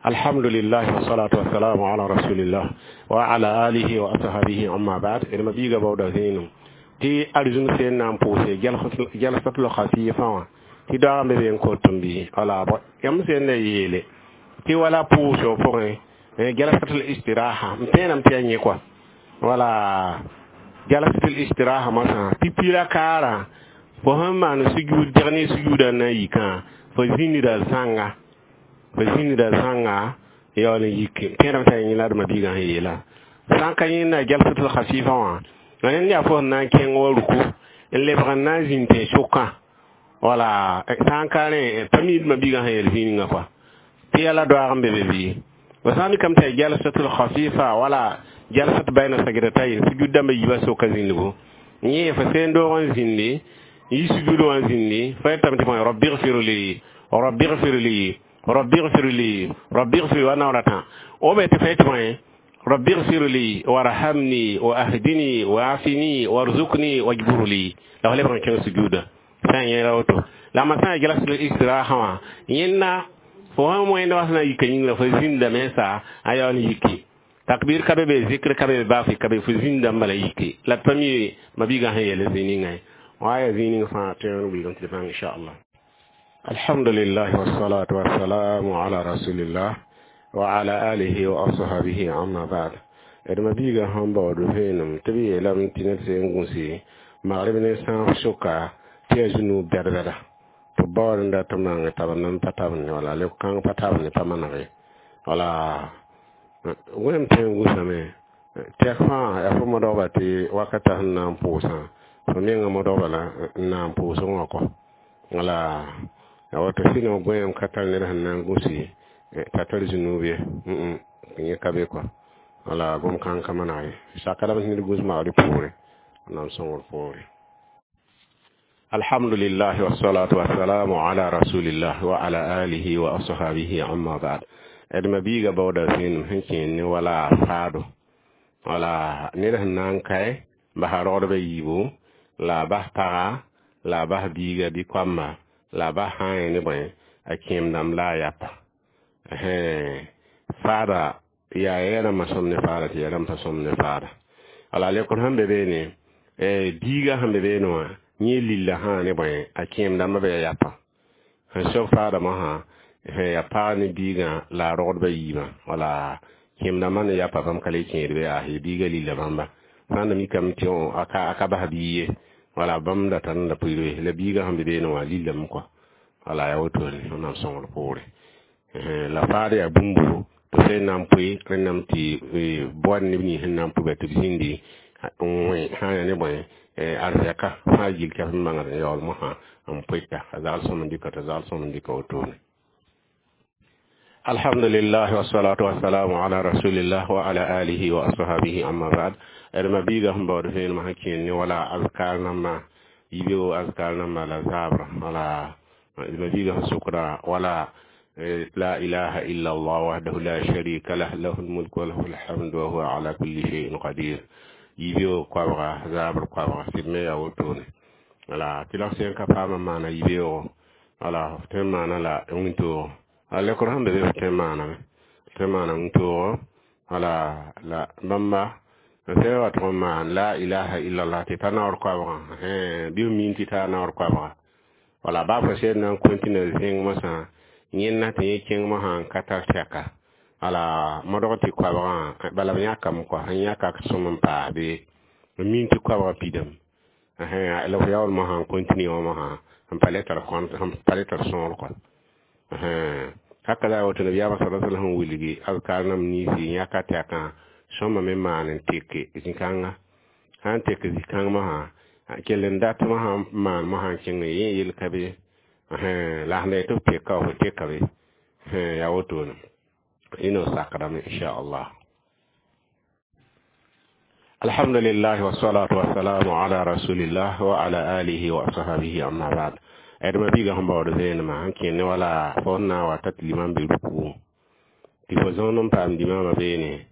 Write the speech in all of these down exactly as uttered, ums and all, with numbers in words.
Alhamdulillah wassalatu wassalamu ala rasulillah wa ala alihi wa ashabihi, amma ba'd. D ma biiga baooda vẽenem tɩ arzũm sẽn na n pʋʋse jalsatul khafifa wã tɩ daoog n be be n kot n bɩ wala yãmb sẽn na yeele tɩ wala pʋʋsg pʋgẽ jalsatul istiraha n tẽedame tɩ yaa yẽ kɔa wala jalsatul istiraha mosã tɩ pila kaarã fo sẽn maan sujud deg ne sujuudã na n yikã fo zĩnda zãnga fo zĩnda zãnga yaool n yik tẽedame tɩ yaa yẽ la d ma-biigã sẽn yeelã sã n ka yẽnda jalsatul khafifa wã rẽnd yaa fo sẽn na n kẽng wa ruku n lebg n na n zĩnd tẽn-sʋkã wala sã n ka rẽ pa mi d ma-biigã sẽn yeel zĩningã kɔa tɩ yaa la doaag n be be bɩ fo sã n mikame tɩ yaa jalsatul khafifa wala jalsat bayna sajdatayn sujud dãmba yiibã soka zĩndgo yẽ fo sẽn doog n zĩndi yi sujud wã zĩndi fo yetame tɩ bõe rabbi gfir li rabbi gfir li rabbi gfir li rabbi gfir wa naoor tã o be tɩ fa yetɩ bõe rabbi gfir li warhamni wa ahdini wa afini warzuqni wajbur li la fo lebg n kẽng sujuda sã n yẽla woto la ma sã n jalsatul istiraha wã yẽnna fo sẽn wẽnd wa sẽn na n yika yĩnga fo zĩndame sa a yaool n yiki takbir ka be be zikr ka be be baafɩ ka be fo zĩndame bala yiki la d pa mi ma-biigã sẽn yeel zĩ-ningã ye wa ya zĩ ning fãa tõe n wilgame tɩ d bãng inchallah. Alhamdulillah wassalatu wassalamu ala rasulillah wa ala alihi wa ashabihi, amma ba'd. D ma-biigã sẽn baood vẽenem tɩ b yeelame tɩ ned sẽn gũsi magrb ne sãaf sʋka tɩ yaa zũnuub bɛd-bɛda tɩ b baood n dat n maang tab n pa tab ne wala leb kãng pa tab ne pa maneg ye wala wẽnem tõe n gũsame tɛk fãa yaa fo modgba tɩ wakata sẽn na n pʋʋsã fo menga modgba la n na n pʋʋsg wã kɔ wala ya woto sɩneg gõeem ka tar ned sẽn na n gũsi t'a tar zũnuub ye yẽ ka be kɔ wala gom kãng ka maneg ye saka lame tɩ ned gũs magr poore na n sõngr poore. Alhamdulillah wassalatu wassalamu ala rasulillah wa ala alihi wa ashabihi, amma ba'd. D ma-biiga baooda vẽenem sẽn kẽer ne wala faado wala ned sẽn na n kae basa rogdbã yiibu la a bas paga la a bas biiga bɩ koamba la a bas sã n yẽ ne bõe a kẽem dãmb la a yapa faada yaa ya rãmbã sõm ne faada tɩ ya rãmb pa sõm ne faada wala lekr sẽn be beene biiga sẽn be beene wã yẽ lilla sã ne bõe a kẽem dãmbã be ya yapa sẽn sob faada mosã sẽn ya pag ne biigã la a rogdbã yiibã wala kẽem dãmbã ne yapa bãmb ka le kẽed be yaa biiga lilla bãmba sã n da mikame tɩ a ka bas biig ye wala bãmb da tar n da pʋɩɩr la biigã sẽn be beene wã lillame kɔa wala yaa wotone Wẽnnaam sõngr poore la faad yaa bũmbu tɩ sẽn na n pʋɩ rẽnname tɩ boad neb nins sẽn na n pʋɩ tɩ b zĩndi n wẽ sã n yaa ne bõe arzɛka fãa gil tɩ f bãngd n yaool mosã n pʋɩta a zagl sõm n dɩka t'a zagl sõm n dɩka wotone. Alhamdulillah wassalatu wassalamu ala rasulillah wa ala alihi wa ashabihi, amma ba'd. D ma-biigã sẽn baood vẽenemã sẽn kẽer ne wala azkar nambã yibeoog azkar nambã la zaabra wala d ma-biigã sẽn sʋkda wala la ilaha illa allah wahdahu la sharika lah lahu lmulk wa lahu lhamd wa huwa ala kulli shay'in qadir yibeoog koabga zaabr koabga sɩd me yaa wotone wala tɩ la sẽn ka paama maana yibeoogo wala f tõe n maana la wĩntoog a lekr sẽn be be f tõe n maaname tõe n maana wĩntoogo wala la bãmba sẽn wa tʋg n maan la ilaha illallah tɩ ta naoor koabgã bɩ f min tɩ taa naoor koabga wala baa fo sẽn na n continue zẽng mosã yẽnna tɩ yẽ kẽng mosã n ka tar tɛka wala modg tɩ koabgã bala b yãkame kɔa sẽn yãka sõm n paas be n min tɩ koabgã pidame la f yaool mosã n continue wã mosã n pa le tar kõnt n pa le tar sõor kɔa haka la woto nabiyaamã sa sallam sẽn wilgi azkar nam niisi yãka tɛkã sõma me maan n teke zĩ-kãnga sã n tek zĩ-kãng mosã kell n dat mosã n maan mosã n kẽng yẽ yel ka be la sẽn da yetɩ f teka f teka be yaa wotone ino sakdame inchallah. Alhamdulillah wassalatu wassalamu ala rasulillah wa ala alihi wa ashabihi, amma ba'd. D ma-biigã sẽn baood vẽenemã sẽn kẽer ne wala fo sẽn na n wa ta tɩ limam be ruku tɩ fo zõond n paam limamã beene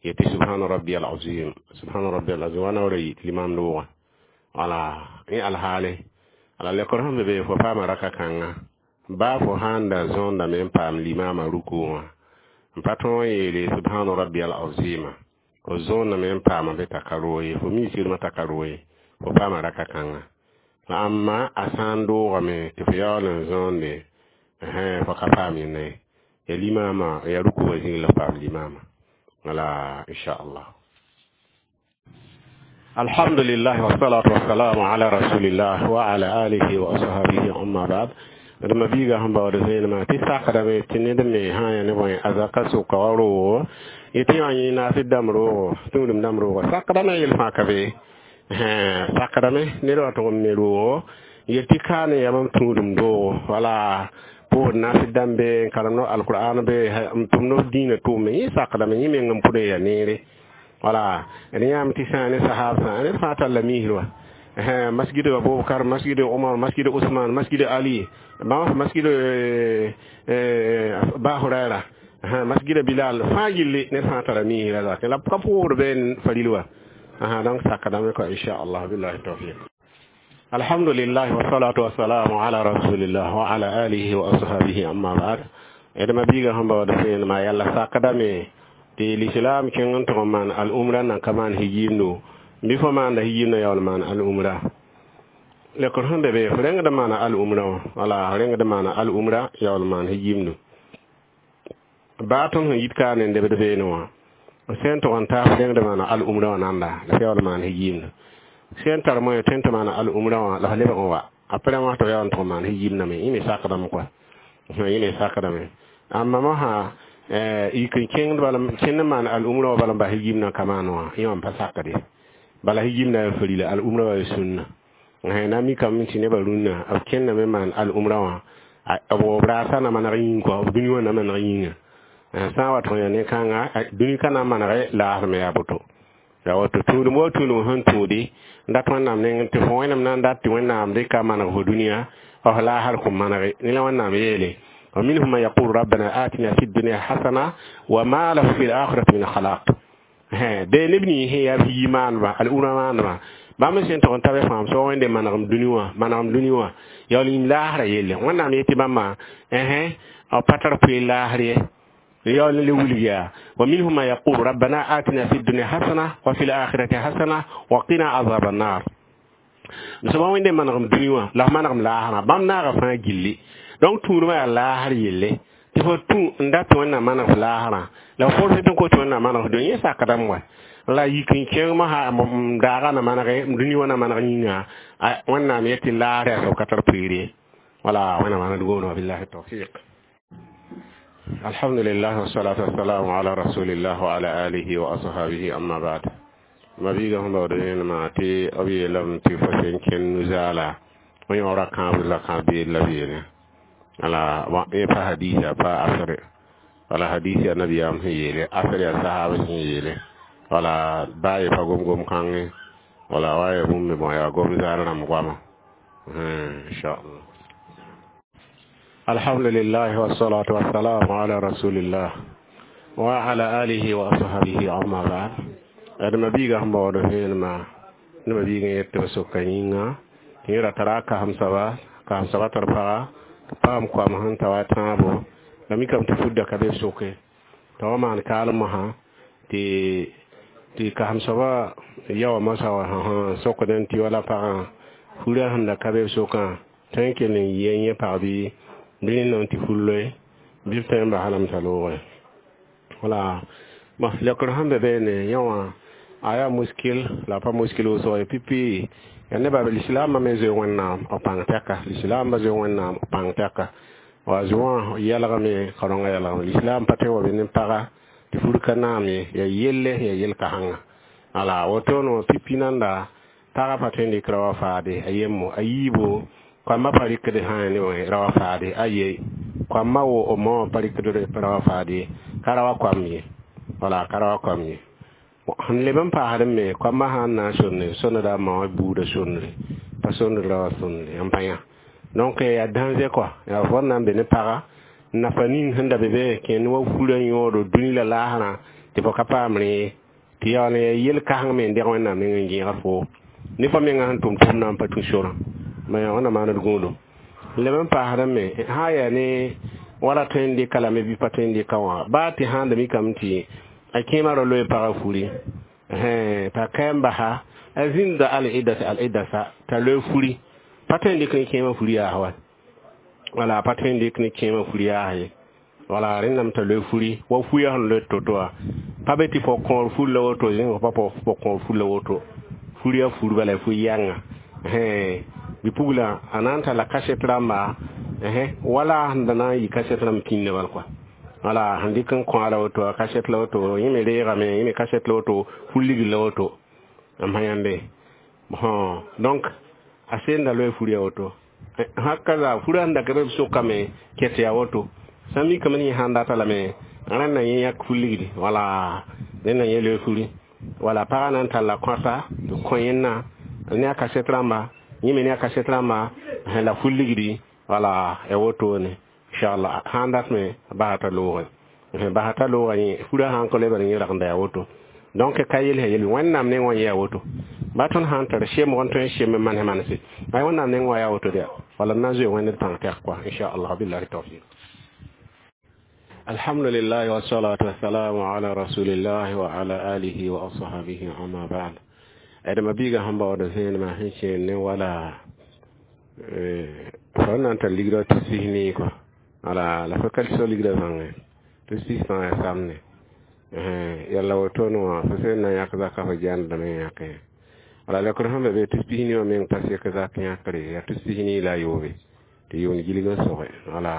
yetɩ subhana rabbi alazim subhana rabbi alazim wa naoora yi tɩ limam loogã wala yẽ alhaale ala lekr sẽn be be fo paama raka kãnga baa fo sãn da zõondame n paam limamã ruku wã. N pa tõog n yeele subhana rabbiyal azima fo zõoname n paama be t'a ka roog ye, fo mi sɩdmã t'a ka roog ye, fo paama raka kãnga. La ãmba a sã n doogame tɩ fo yaool n zõonde, fo ka paam yẽnda ye, ya limaamã ya ruku wã zĩig la f paam limaamã. Wala inchallah. Alhamdulillah, wassalatu wassalamu ala rasulillah wa ala alihi wa ashabihi, amma ba'd. D ma biiga sẽn baood vẽenemã tɩ sakdame tɩ ned me sã n yaa ne bõe a zaka sʋka wa roogo yetɩ yã yẽ naasd dãmb roogo, tũudem dãmb roogo sakdame yel fãa ka be sakdame ned wa tʋg n me roogo yel tɩ ka ne yaa mam tũudem doogo, wala pʋʋsd naasd dãmb be n karem no alqur'an be n tʋm no dĩinã tʋʋme, yẽ sakdame yẽ meng n pʋdẽ ya neere. Wala d yãame tɩ sã ne sahab sã ned fãa talla misr wa, masjid Abubakar, masjid Umar, masjid Usman, masjid Ali, bãmb masjid Ba Hurayra, masjid Bilal fãa gilli ned fãa tara misrã zake la b ka pʋʋsd be n faril wa. Donc sakdame kɔa inchallah, billahi tawfiq. Alhamdulillah, wassalatu wassalamu ala rasulillah wa ala alihi wa ashabihi, amma ba'd. D ma biiga sẽn baood vẽenemã yalla sakdame tɩ l'islam kẽng n tʋg n maan al-umra nan ka maan hijiimdo bɩ fo maanda hijiimdã yaool maan al-umra lekr sẽn be be f rẽngd maana al-umra wã, wala f rẽngd maana al-umra yaool maan hijiimdo baa tõnd sẽn yit ka ne n debd beene wã sẽn tʋg n taa f rẽngd maana al-umra wã nanda la f yaool maan hijiimdo sẽn tar moẽ tõe n tɩ maana al-umra wã la f lebg n wa apre wã tɩ f yaool n tʋg n maan hijiimdame yẽ me sakdame kɔa, yẽ me sakdame. Ãmba mosã yik n kẽngd bala kẽnd n maan al-umra wã bala n bas hijiimdã ka maan wã, yẽ wã n pa sakd ye, bala hijiimdã yaa farila, al-umra wã yaa sũnna. Na mikame tɩ nebã rũnnã b kẽndame maan al-umra wã b raasa na maneg yĩng kɔa, b dũni wã na maneg yĩnga sã n wa tʋg yaa ne-kãnga dũni ka na n manege laasem yaa boto yaa woto tũudum wa tũudum sẽn tũudi n dat Wẽnnaam nengẽ tɩ fo Wẽnnaam na n dat tɩ Wẽnnaam dɩka maneg fo dũniyã f laasr kõn manege ne la Wẽnnaam yeele ومنهم من يقول ربنا آتنا في الدنيا حسنة وما له في الآخرة من خلاق. De neb nins sẽn yaa bi maaneba al-umra maaneba bãmb sẽn tʋg n ta be fãam so wẽnde manegem dũni wã manegem dũni wã yaool yĩm laasrã yelle. Wẽnnaam yetɩ bãmba b pa tar poe laasr ye yaool n le wilg yaa ومنهم من يقول ربنا آتنا في الدنيا حسنة وفي الآخرة حسنة وقنا عذاب النار. Soaba wẽnde manegem dũni wã la f manegem laasrã bãmb naaga fãa gilli. Donc tũudmã yaa laasr yelle tɩ fo tũ n dat tɩ Wẽnnaam maneg f laasrã la f forse tɩ n kot Wẽnnaam maneg f dũni yẽ sakdame wa la yik n kẽng mosã m daaga na manege m dũni wã na maneg yĩnga Wẽnnaam yetɩ laasr yaa soab ka tar poeer ye. Wala Wẽnnaam maaned goone wa billahi tawfiq. Alhamdulillah, wassalatu wassalamu ala rasulillah wa ala alihi wa ashabihi, amma ba'd. Ma biiga sẽn baood rẽnemã tɩ b yeelame tɩ fo sẽn kẽnd nu-zaala fo yõora kãabr la kãab beed la beene wala yẽ pa hadisa pa asre wala hadisi a nabiyaam sẽn yeele asr yaa sahab sẽn yeele wala baa ye pa gom-gom kãngẽ wala wa ya bũmb me bõ yaa gom zaal rãmb goama inchallah. Alhamdulillah, wassalatu wassalamu ala rasulillah wa ala alihi wa ashabihi, amma ba'd. D ma biiga sẽn baood vẽenemã neba biig n yet tɩ b soka yĩnga tɩ yẽ ra tara a kasem soaba kasem soaba tar paga tɩ paam koam sẽn ta wa tãabo la mikame tɩ fudda ka be b soke t'a wa maan kaalem mosã tɩ tɩ kasem soaba yaoa mosã wa sokdẽ tɩ wala pagã furã sẽn da ka be b sokã tõe n kell n yɩ yẽ pag bɩ bɩ rẽnd tɩ fur loe bɩ b tõe n basa lame t'a loogẽ. Wala bon lekr sẽn be beene yẽ wã a yaa muskil la pa muskil wʋsg ye pipi ya nebã lislaambã me zoe Wẽnnaam b pãng tɛka lislaambã zoe Wẽnnaam b pãng tɛka wa zoã yɛlgame ka rõngã yɛlgame lislaam pa tõe wa be ne paga tɩ fur ka naam ye ya yelle ya yel-kãsengã ala wotono pipi nanda pagã pa tõe n dɩk ra wa faade a yemmo a yiibo koambã pa rɩkd sã ne ra wa faade a ye koambã wo b ma wã pa rɩkd ra wa faade ka ra wa koam ye wala ka ra wa koam ye sẽn leb n paasd me koambã sã n na n sonde sõneda ma wã buudã sondre pa sondr ra wa sondre n pa yã. Donc yaa danger quoi yaa fo na n be ne paga nafa ning sẽn da be be kẽnd wa furã yõodo dũni la laasrã tɩ fo ka paam rẽ tɩ yaool n yaa yel-kãseng me n deg Wẽnnaam neng n gẽegd fo ne fo menga sẽn tʋm tʋmdã n pa tũ sorã ma yaa Wẽnnaam maaned gũudum leb n paasd me sã n yaa ne Wala tõe n dɩka lame bɩ pa tõe n dɩka wã baa tɩ sãn da mikame tɩ a kẽemã ra loe pagã furi t'a ka n basa a zĩnda al-idda al-idda sa t'a loe furi pa tõe n dɩk ne kẽemã furi yaa wa wala pa tõe n dɩk ne kẽemã furi yaa ye wala rẽndame t'a loe furi wa fuya sẽn loe to-to wã pa be tɩ fo kõor fur la woto zẽng pa fo kõor fur la woto furi ya fur bala fu yãnga bipugla a na n talla kaset rãmba wala sẽn da na n yɩ kaset rãmb pĩndã bal kɔa wala sẽn dɩk n kõ la woto a kaset la woto yẽ me reegame yẽ me kaset la woto fur ligd la woto n pa yãmbe donc a senda loe furi ya woto hakaza fura sẽn da ka be b sʋkame ket yaa woto sã mikame ne yẽ sãn data lame rẽnda yẽ yãk fur ligdi wala rẽnda yẽ loe furi wala pagã na n talla kõta tɩ kõ yẽnna ne a kaset rãmba yẽ me ne a kaset rãmba la fur ligdi wala ya wotone inshallah sãn dat me basa t'a loogẽ basa t'a loogã yẽ furã sãn ka loe bala yẽ ragenda yaa woto donc ka yel yel wẽnnaam neng wã yɛa woto ba tõnd sãn tar sem n tõe n sem n manse manse ay wẽnnaam neng wã yaa woto dɛ wala na n zoe wẽnd d pãng tɛk kɔa inshallah billahi tawfiq. Alhamdulillah wassalatu wassalamu ala rasulillah wa ala alihi wa ashabihi amma ba'd. Adama biiga sẽn baood zẽenema sẽn kẽen ne wala fo na n tar ligrã tɩ sis nii kɔa wala la fo ka so ligrã bãngẽ tɩ sis fãa yaa samne yalla wotone wã fo sẽn na n yãk zaka fo jãndame yãke wala lekr sẽn be be tɩ pis nii wã meng pa sek zak yãkre yaa tɩ pis nii la a yoobe tɩ yʋʋnd gilg n soge wala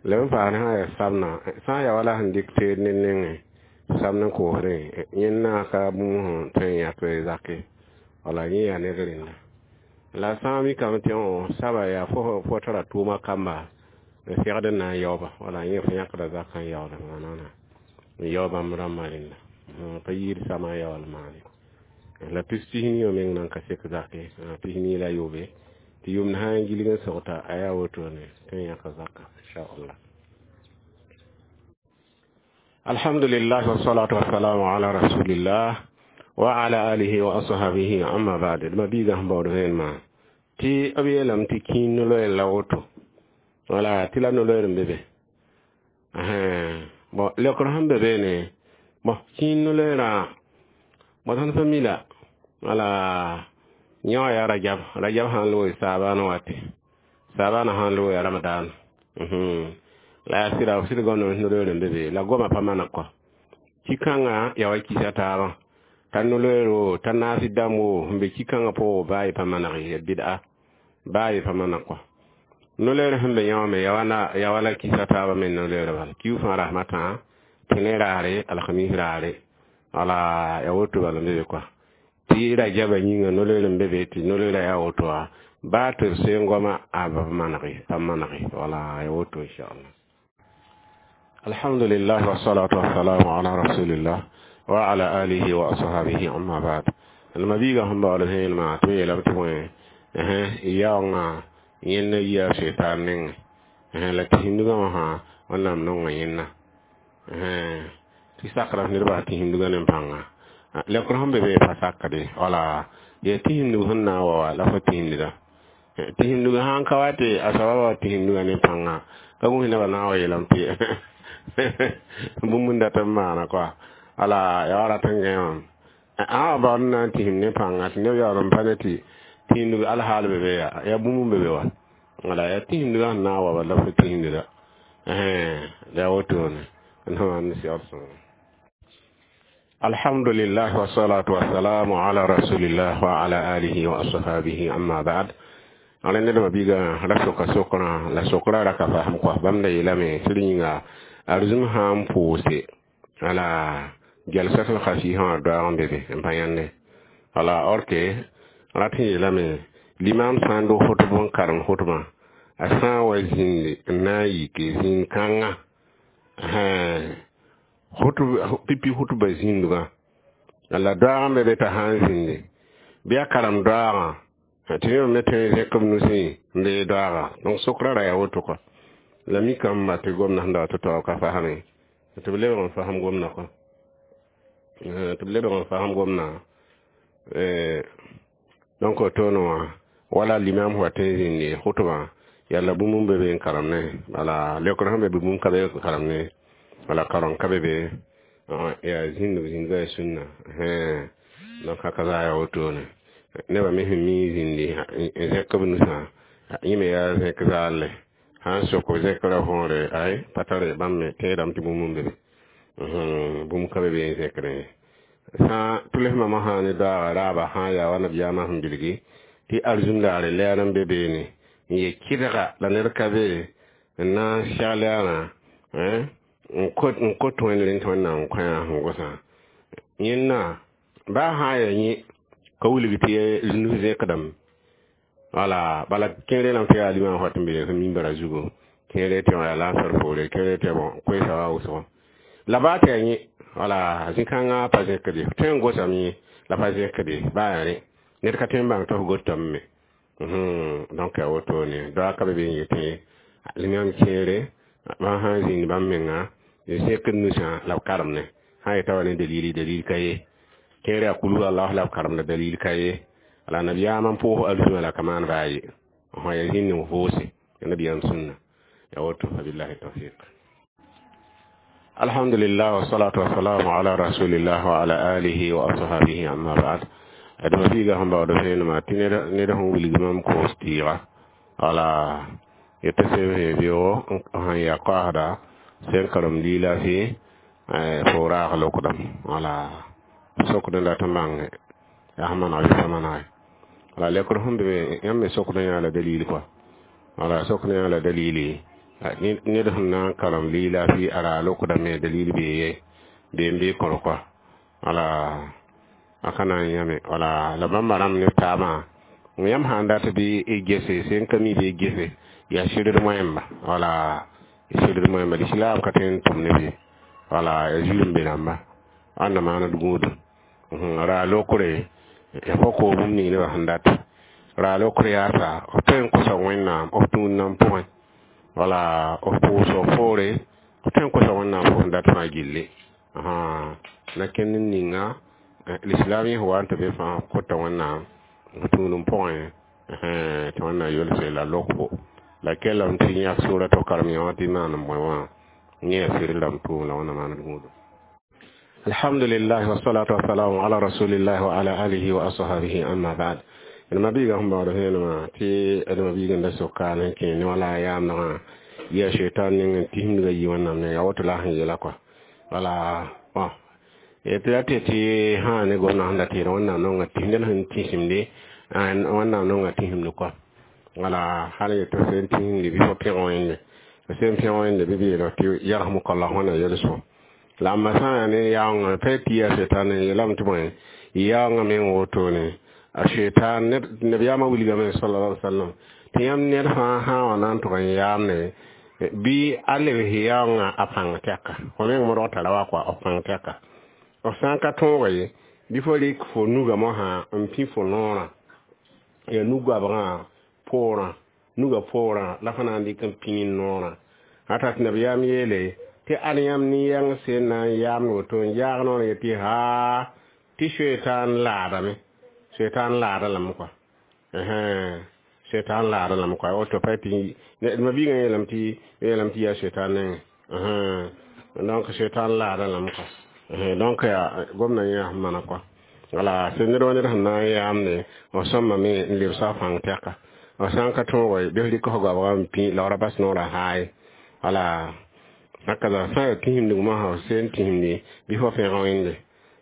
la b paas sã yaa samna sã n yaa wala sẽn dɩk teed ne nengẽ samd n koosdẽ yẽnna ka bũmb sẽn tõe n yãk zake wala yẽ yaa ned rẽnda la sã n mikame tɩ saba yaa fo fo tara tʋʋma kamba n segd n na n yaooba wala yẽ fo yãkda zakã n yaool maana n yao bãmb rãmbã rẽnda pa yiid sama n yaool maane la pis pis nii wã meng nan ka sek zake pis nii la a yoobe tɩ yʋmd sã n gilg n sogta a yaa wotone tõe n yãka zaka inshallah. Alhamdulillah wassalatu wassalamu ala rasulillah wa ala alihi wa ashabihi amma ba'd. Ma biiga sẽn baood vẽenemã tɩ b yeelame tɩ kĩin no-loeer la woto wala tɩ la no-loeer n be be bon lekr sẽn be beene bon kĩin no-loeerã bon tõnd fa mi la wala yẽ wã yaa rajab rajab sãn loog saabaan wate saabaan sãn loog yaa ramadan la yaa sɩda b sɩd gomdame no-loeer n be be la goma pa maneg kɔ ki-kãngã yaa wa kisa taabã t'a no-loeero t'a naas dãmb wo sẽn be ki-kãngã pʋgẽ baa y pa maneg ye bɩda baa y pa maneg kɔ no-loeer sẽn be yã wã me yaa wala kisa taabã me no-loeer bala kiu fãa rasmã tã tẽne raare alhamis raare wala yaa woto bala n be be kɔa tɩ rajaba yĩnga no-loeer n be be tɩ no-loeerã yaa woto wã baa tɩ b seen goama a ba manege pa manege wala yaa woto inchallah. Alhamdulillah wassalatu wassalamu ala rasulillah wa ala alihi wa ashabihi amma ba'd. Ma biiga sẽn baood vẽenemã tɩ b yeelame tɩ bõe yaoongã yẽnna yia setan nengẽ la tɩ hindgã wã sã wẽnnaam nonga yẽnna tɩ sakra ned bas tɩ hindgã ne pãnga lekr sẽn be be pa sakde wala yaa tɩ hindg sẽn na n wa wa la fo tɩ hindga tɩ hindg sãn ka wa tɩ a soaba wa tɩ hindgã ne pãnga ka gũus nebã na n wa yeelame tɩ bũmb n dat n maana kɔa wala yaa wa rat n gãe wã ã wa baood n na n tɩsem ne pãnga tɩ neb yaool n pa ne tɩ tɩ hindg alhaal be be yaa yaa bũmb n be be wa wala yaa tɩ hindgã sẽn na n wa bala la fo tɩ hindga yaa wotone n wãn segd sõngo. Alhamdulillah wassalatu wassalamu ala rasulillah wa ala alihi wa ashabihi amma ba'd. Ala ned ma biiga la soka sokrã la sokra ra ka fasem kɔa bãmb da yeelame tɩ yĩnga arzũm sã n pʋʋse wala jalsatul khafifã wã doaag n be be n pa yãnde wala or ke rat sẽn yeelame limam sã n dog fotb n karem fotbã a sã n wa zĩndi n na n yike zĩig kãngã pipi hutba zĩndgã la doaag n be be t'a sã n zĩndi bɩ a karem doaagã tɩ neb me tõe n zẽk b nusẽ n bee doaaga donc sokra ra yaa woto kɔ la mikame ba tɩ gomdã sẽn da wa tɩ taoog ka fasme tɩ b lebg n fasem gomdã kɔ tɩ b lebg n fasem gomdã donc toone wã wala limam wa tõe n zĩndi khutbã Yalla bũmb n be be n karem ne, wala leokr sẽn be bɩ bũmb ka be n karem ne, wala kareng ka be be yaa zĩnd b zĩndga yaa sũnna. Donc haka zaa yaa wotone nebã me sẽn mi zĩndi n zẽk b nusã, yẽ me yaa zẽk zaalle sã n sok b zẽkrã võore ay pa tare bãmb me tẽedame tɩ bũmb n be be, bũmb ka be be n zẽkdẽ ye. Sã tʋlsmã mosã ne daoogã raaba sã n yaa wa nabiyaamã sẽn bilgi tɩ arzũndaare lɛɛr n be beene n ye kɩdga la ned ka be n na n segl yaarã n kot wẽnd rẽnd tɩ Wẽnnaam kõ-yã sẽn gosã. Yẽnna baa sã n yaa yẽ ka wilg tɩ nus zẽkdame, wala bala kẽere lame tɩ yaa limam wat n be mimbara zugu, kẽere tɩ yaa lansar poore, kẽere tɩ bon koeesa wa wʋsgo la baa tɩ yaa yẽ, wala zĩ-kãngã pa zẽkde tõe n gosame yẽ la pa zẽkde baa yaa rẽ ned ka tõe n bãng tɩ f gotame me. Donc yaa wotone doa ka be be n yetẽ yãmb kẽere bãmb sã n zĩnd bãmb menga zẽkd nusã la b karemne sã n yeta wa ne dalili, dalil ka ye. Kẽere yaa kulhu Allah la b karemda, dalil ka ye. La nabiyaamã n pʋʋs arzũa la ka maan baa ye sã yaa zĩnd n voose nabiyaam sũnna ya woto. Wabillahi tawfiq. Alhamdulillah, wassalatu wassalamu ala rasulillah wa ala alihi wa ashabihi, amma ba'd. Adama biiga sẽn baood vẽenemã tɩ ned sẽn wilg mam koos tɩɩga, wala yetɩ sẽn beoogo sẽn yaa koasda sẽn karem lilaafɩ fo raag lokdame, wala sokd n dat n bãnge yaa sẽn maneg bɩ pa manege. Wala lekr sẽn be yãmb me sokd n yaa la dalil kɔa, wala sokd n yaa la dalili ned sẽn na n karem lilaafɩ a raa lokdame, dalil bee ye bee n bee kõr kɔa, wala a ka na n yãme. Wala la bãmba rãmb ne taabã yãmb sã n dat bɩ y gese sẽn ka mi bɩ y gese yaa sɩdd moẽmba, wala sɩdd moẽmba lislaam ka tõe n tʋm ne be, wala yaa zulum be rãmba ãnda maand gũudum raa lokre ya fo ko bũmb ning nebã sẽn dat raa lokr yaasa f tõe n kosa Wẽnnaam f tũud-nam pʋgẽ, wala f pʋʋsg poore f tõe n kosa Wẽnnaam fo sẽn dat fãa gilli na kẽnd n ninga lislaam yẽ wa n tɩ be fãa kota Wẽnnaam f tũudem pʋgẽ tɩ Wẽnnaam yelse la lokbo la kellame tɩ yãk sʋʋra tɩ f karem yã wã tɩ maan n bõe wã yẽ yaa sɩd rãmb tʋʋm la Wẽnnaam maand gũudum. Alhamdulillah, wassalatu wassalamu ala rasulillah wa ala alihi wa ashabihi, amma ba'd. D mabiiga sẽn baood vẽenemã tɩ d mabiig n da soka n kẽ ne wala yaamdgã yaa shaitan ning n tisimdga yi Wẽnnaam ne yaa woto la a sẽn yeela kɔa, wala bon tɩ ra tɩ tɩ sã ne gomdã sẽn da tɩ Wẽnnaam nonga tɩs ned sẽn tĩsimde, Wẽnnaam nonga tĩsimd kɔa, wala hal yetɩ f sẽn tĩsimde bɩ fo pẽg Wẽnde, f sẽn pẽg Wẽnde bɩ b yeela tɩ yarhamukallah Wẽnnaam yel-sõm. La amba sã n yaa ne yaoongã pa tɩ yaa shaitan n yeelame tɩ bõe yaoongã meng wotone a shaitan nabiyaamã wilgame sallallahu alaihi wasallam tɩ yãmb ned fãa sã n wa na n tʋg n yaamne bɩ a lebs yaoongã a pãng tɛka fo meng modg tara wa kɔa f pãng tɛka f sã n ka tõoga ye bɩ fo rɩk fo nuga mosã n pĩ fo noorã yaa nu-goabgã poorã nuga poorã la fo na n dɩk n pĩ ne noorã ata tɩ nabiyaam yeele tɩ ad yãmb nin-yɛng sẽn na n yaamd woto n yaag noor yetɩ haa tɩ shaitan laadame, shaitan laada lame kɔa, shaitan laada lame kɔa woto pa tɩ mabiigã yeelame tɩ yeelame tɩ yaa shaitan nengẽ. Donc shaitan laada lame kɔa, donc yaa gomdã yẽ sẽn mana kɔa, wala sẽn ned wa ned sẽn na n yaamde f sõmame n lebsa f pãng tɛka f sã n ka tõoga bɩ f rɩk f goabgã n pĩ la f ra bas noorã haaye, wala hakaza sã n yaa tĩsimdg mosã f sẽn tĩsimde bɩ fo pẽg Wẽnde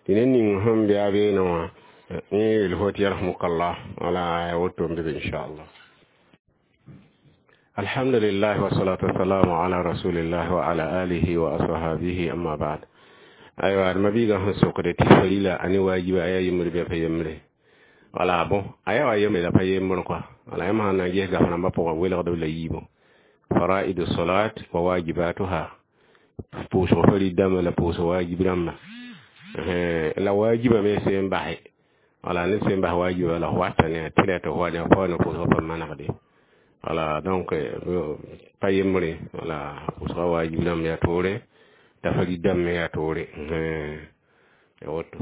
tɩ ned ning sẽn be a beene wã yẽ yeel fo tɩ yarhamukallah, wala ya woto n be be inchallah. Alhamdulillah, wassalatu wassalamu ala rasulillah wa ala alihi wa ashabihi, amma ba'd. Aywa d mabiigã sẽn sokde tɩ farila ane wajiba a yaa yembr bɩ a pa yembre, wala bon a yaa wa yembre la pa yembr kɔa, wala yãmb sãn na n ges gaf rãmbã pʋgã welgd b la yiibõ faraidu salat wa wajibatuha pʋʋsg farid dãmbã la pʋʋsg wajib rãmbã la wajiba me sẽn base, wala ned sẽn bas wajiba la f wata ne a tɩ tɩ f wa ne f pa ne pʋʋsg pa manegde, wala donc pa yembre, wala pʋʋsga wajib rãmb yaa toore t'a farid dãmb me yaa toore ya woto.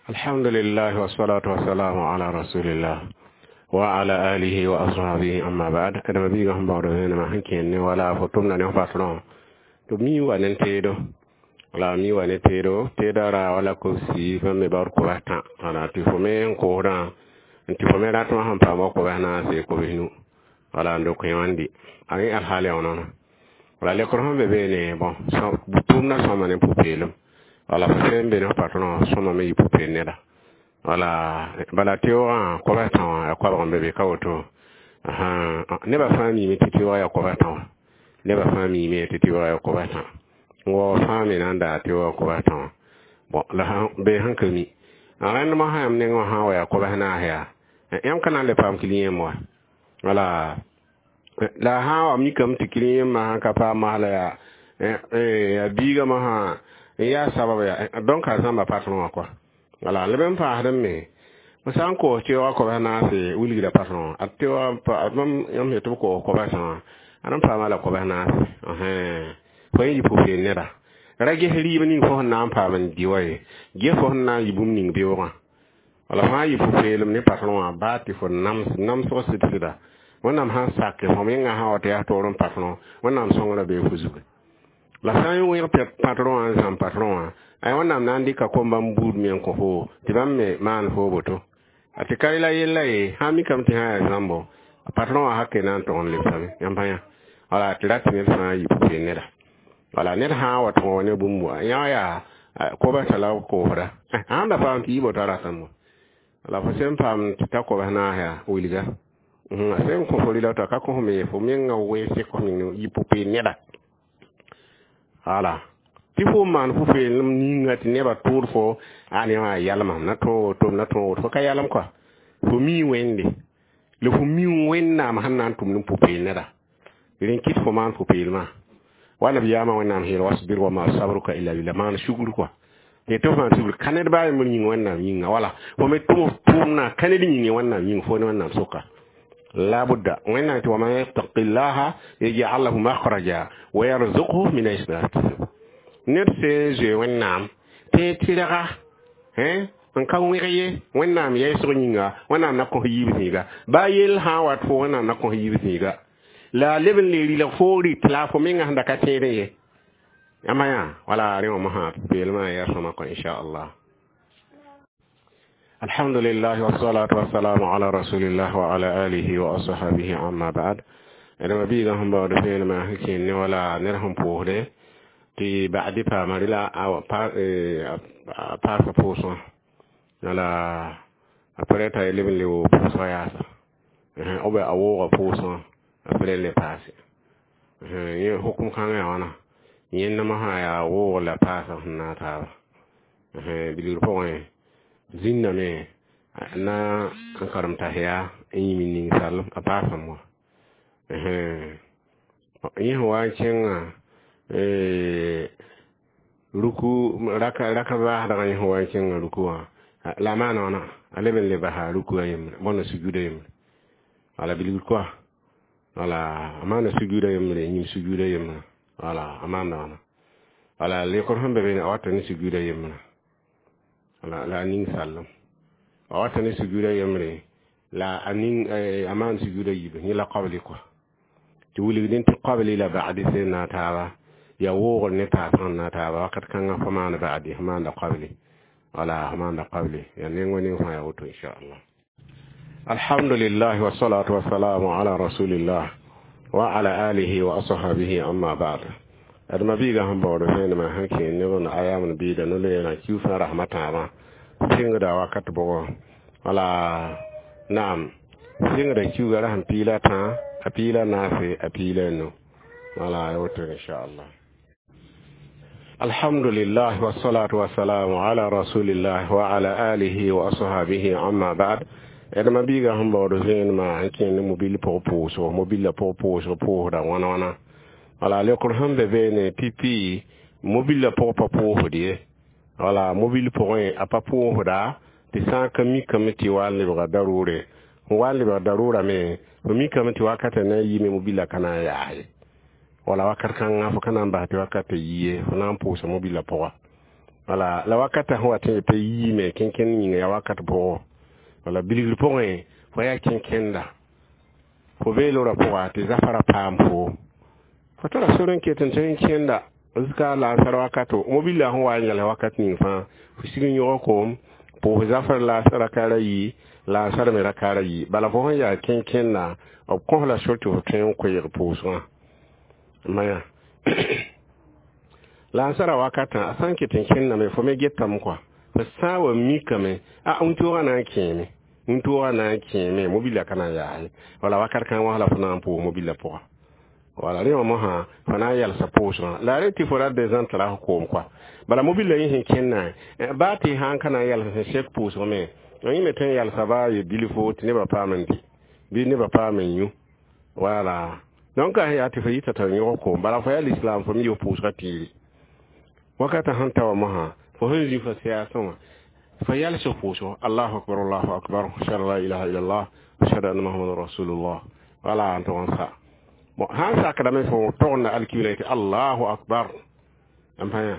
Alhamdulillah, wassalatu wassalamu ala rasulillah. وعلى آله وأصحابه أما بعد أدم بيغا هم بعد هنا ما هنكين ولا فتمنا نفاتنا to mi wa nen teedo wala mi wa ne teedo teeda ra wala ko si fa me bar ko ta wala ti fo me ko ra ti fo me ra to han pa mo ko na se ko binu wala ndo ko yandi ani al hali ono wala le ko be be ne bon so tumna so ma ne pupelum wala fo sen be no patron so ma me pupel ne da wala bala teo a ko ba ta ko ba be be ka woto aha ne ba fa mi mi ti teo ya ko ba ta ne ba fãa miime tɩ tɩ-wa ya koba tã wa fãa me na n daa tɩ-wa koba tã wã bõn la bee sẽn ka mi a rẽndmã sã yãmb nengẽ wã sã n wa yaa kobs naas yaa yãmb ka na n le paam kiliyẽm wa wala la sã n wa mikame tɩ kiliyẽmã sãn ka paam masla yaa yaa biigamã sã n yaa sabab yaa donc a zãmba patron wã kɔa wala leb n paasd me b sã n koos tɩ-wa kobs naase wilgda patron a tɩ-wa yãmb yetɩ b koos kobs tã wã a n paama la kobs naase fo yẽ yɩ pʋ-peel neda ra ges rɩɩb ning fo sẽn na n paam n dɩ wa ye ges fo sẽn na n yɩ bũmb ning beoogã wala fãa yɩ pʋ-peelem ne patron wã baa tɩ fo nams namsg sɩd-sɩda wẽnnaam sãn sake fo menga sã wa tɩ yaa toor n patron wẽnnaam sõngrã bee fo zugu la sã n wẽg patron wã n zãm patron wã ay wẽnnaam na n dɩka kom-bãmb buud me n kõ fo tɩ bãmb me maan fo woto a tɩ ka la yella ye sã n mikame tɩ sã yaa zãmbo patron wã hake na n tog n lebsame yãmb pa yã wala tɩ rat ned fãa yɩ pʋ-peelem neda wala ned sã n wa tõog ne bũmb wa yã yaa kobs la koosda sãn da paam tɩ yɩ boto ratame wala fo sẽn paam tɩ ta kobs naas yaa wilga a sẽn kõ fo rɩla t'a ka kõ me fo menga weese kõ meng yɩ pʋ-peelem neda wala tɩ fo n maan pʋ-peelem ninga tɩ nebã tʋʋd fo a ne wã yalmam na tõog woto na tõog woto fo ka yalem kɔa fo mii wẽnde la fo mi wẽnnaam sẽn na n tʋm ne pʋ-peel neda rẽn kɩt fo maan pʋ-peelmã wala b yaama wẽnnaam yeel wasbir wama sabruka illa billah maan sugr kɔa tɩ tɩ f maan sugr ka ned baa yembr yĩng wẽnnaam yĩnga wala fo me tʋm f tʋʋmdã ka ned yĩng wẽnnaam yĩng fo ne wẽnnaam sʋka la budda wẽnnaam tɩ waman yattaqillaha yaj'al lahu makhraja wa yarzuqhu min haythu la yahtasib ned sẽn zoe wẽnnaam tɩ tɩrga n ka wẽg ye wẽnnaam yɛɛsg yĩnga wẽnnaam na kõ yiib zĩiga baa yell sã n wat fo wẽnnaam na kõ yiib zĩiga la leb n le rɩlg fo rɩt la fo menga sẽn da ka tẽedẽ ye yãmba yã wala rẽ wã mosã peelmã yaa sõma kõ inchallah alhamdulillah wassalatu wassalamu ala rasulillah wa ala alihi wa ashabihi amma ba'd edma biiga sẽn baood peelmã sẽn kẽen ne wala ned sẽn pʋʋsde tɩ ba'di paama rɩla a paasa pʋʋsgã wala a pɛrɛ t'a leb n le woo pʋʋsgã yaasa b a wooga pʋʋsgã a pɛrɛ le paase yẽ hukum kãngã yaa wãna yẽndmã sã yaa woog la paasa sẽn na taaba bilgr pʋgẽ zĩnname na n karem tas yaa n yĩm n ning sallem a paasame wã yẽ sẽn wa n kẽngã ruku raka raka baasdgã yẽ sẽn wa n kẽngã ruku wã la a maana wãna a leb n le basa ruku a yembre bõna sujuda yembre wala bilgr koa wala a maana sujuda yembre yĩm sujuda yembre wala a maanda wãna wala lekr sẽn be be a wata ne sujuda yembre wala la a ning sallem a wata ne sujuda yembre la a ning a maan sujuda yiib yẽ la qabli koa tɩ wilgdẽ tɩ qabli la ba'di sẽn na taaba ya woogr ne taas sẽn na taaba wakat kãngã fo maana ba'di fo maanda qabli wala fo maanda qabli ya neng wa ning fãa ya woto inchallah alhamdulillah wassalatu wassalamu ala rasulillah wa ala alihi wa ashabihi amma ba'd adma biiga sẽn baood vẽenemã sẽn kẽ neb n ayam biida no-loeerã kiuusã rasmã tãabã sɩngda wakat bʋgɔ wala naam sɩngda kiuuga ra sẽn piila tã a piila naase a piila nu wala ya woto inchallah alhamdulillah wassalatu wassalamu ala rasulillah wa ala alihi wa ashabihi amma ba'd edma biiga sẽn baood vẽenemã n kẽ ne mobil pʋg pʋʋsgo mobila pʋg pʋʋsg pʋʋsda wãna wãna wala lekr sẽn be beene pipi mobila pʋg pa pʋʋsd ye wala mobil pʋgẽ a pa pʋʋsda tɩ sã n ka mikame tɩ wa n lebga daroore n wa n lebg daroorame fo mikame tɩ wakatã na n yɩɩme mobila ka na n yaas ye wala wakat kãngã fo ka na n bas tɩ wakatã yie fo na n pʋʋsa mobila pʋga wala la wakatã sẽn wa tɩ t'a yiime kẽnkẽnd yĩnga yaa wakat pʋgɔ wala bilgr pʋgẽ Fo yaa kẽn-kẽnda fo bee lora pʋga tɩ zafara paam fo fo tara sor n ket n tõe n kẽnda zika laasar wakato mobila sẽn wa n yɛls wakat ning fãa fo sig n yõg koom pʋʋs zafar la rakaara yi laasar me rakaara yi bala fo sẽn yaa kẽn-kẽnda b kõs la sor tɩ fo tõe n koeeg pʋʋsgã maya laasara wakatã a sã n ket n kẽndame fo me getame kɔa fo sã n wa mikame a wĩntoogã na n kẽeme wĩntoogã na n kẽeme mobila ka na n yaase wala wakat kãng wã la fo na n pʋʋs mobila pʋga wala rẽ wã mosã fo na n yalsa pʋʋsgã la re tɩ fo ra dezã tara f koom kɔa bala mobila yẽ sẽn kẽnna baa tɩ sã n ka na n yals sẽn sek pʋʋsg me yẽ me tõe n yalsa baa ye bilfo tɩ nebã paam n dɩ bɩ nebã paam n yũ wala donc a yaa tɩ fo yita t'a yõg koom bala fo yaa l'islam fo me yɩ pʋʋsgã tiiri wakata sẽn ta wa mosã fo sẽn zĩ fo sɩyaasẽ wã fo yals pʋʋsgo allahu akbar allahu akbar ashhadu an la ilaha illallah ashhadu anna muhammadan rasulullah wala n tʋg n sa bon sãn sakdame fo togenda alkibla tɩ allahu akbar n pa yã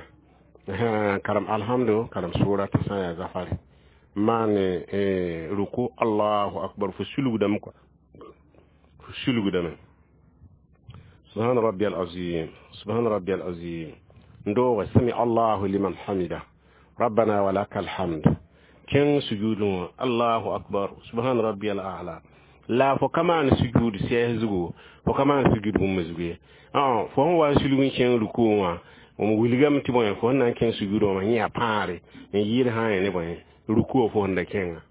karem alhamdu karem sʋra tɩ sã n yaa zafare maane ruku allahu akbar fo sulgdame kɔa fo sulgdame subhana rabbi alazim subhana rabbi alazim ndooga sami allahu liman hamida rabbana walaka alhamd kẽng sujudẽ wã allahu akbar subhana rabbi al a'la la fo ka maan sujud sɛɛs zugu fo ka maan sujud bũmb zugu ye fo sẽn wa n sulg n kẽng ruku wã m wilgame tɩ bõe fo sẽn na n kẽng sujudẽ wã yẽ yaa pãare n yɩɩd sã n yẽ ne bõe ruku fo sẽn da kẽnga